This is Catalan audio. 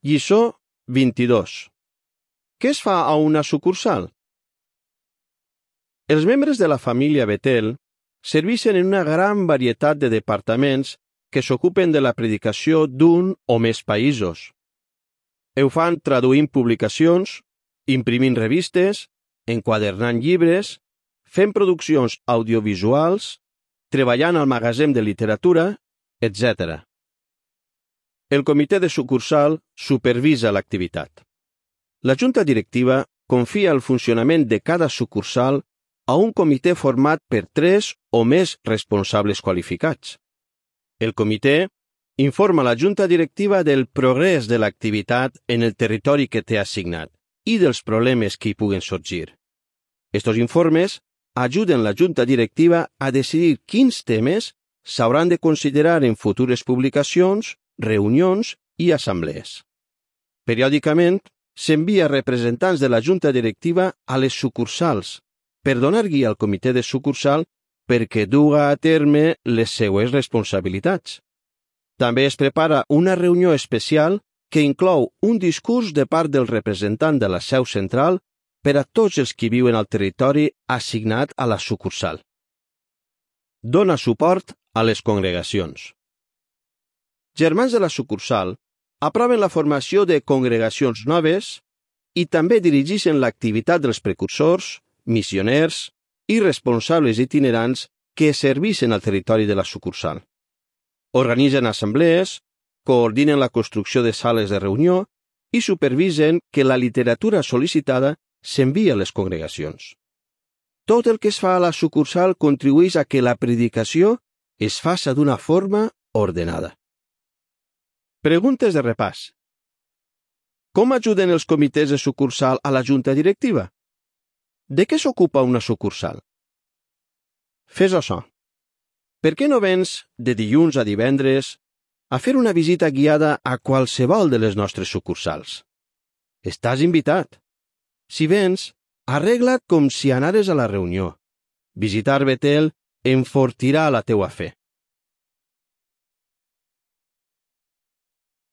Lliçó 22. Què es fa a una sucursal? Els membres de la família Betel serveixen en una gran varietat de departaments que s'ocupen de la predicació d'un o més països. Ho fan traduint publicacions, imprimint revistes, enquadernant llibres, fent produccions audiovisuals, treballant al magatzem de literatura, etc. El comitè de sucursal supervisa l'activitat. La junta directiva confia el funcionament de cada sucursal a un comitè format per 3 o més responsables qualificats. El comitè informa la junta directiva del progrés de l'activitat en el territori que té assignat i dels problemes que hi puguen sorgir. Estos informes ajuden la junta directiva a decidir quins temes s'hauran de considerar en futures publicacions, reunions i assemblees. Periòdicament, s'envia representants de la junta directiva a les sucursals per donar guia al comitè de sucursal perquè duga a terme les seues responsabilitats. També es prepara una reunió especial que inclou un discurs de part del representant de la seu central per a tots els que viuen al territori assignat a la sucursal. Dona suport a les congregacions. Germans de la sucursal aproven la formació de congregacions noves i també dirigeixen l'activitat dels precursors, missioners i responsables itinerants que serveixen al territori de la sucursal. Organitzen assemblees, coordinen la construcció de sales de reunió i supervisen que la literatura sol·licitada s'envia a les congregacions. Tot el que es fa a la sucursal contribueix a que la predicació es faça d'una forma ordenada. Preguntes de repàs. Com ajuden els comitès de sucursal a la junta directiva? De què s'ocupa una sucursal? Fes açò. Per què no vens de dilluns a divendres a fer una visita guiada a qualsevol de les nostres sucursals? Estàs invitat. Si vens, arregla't com si anares a la reunió. Visitar Betel enfortirà la teua fe.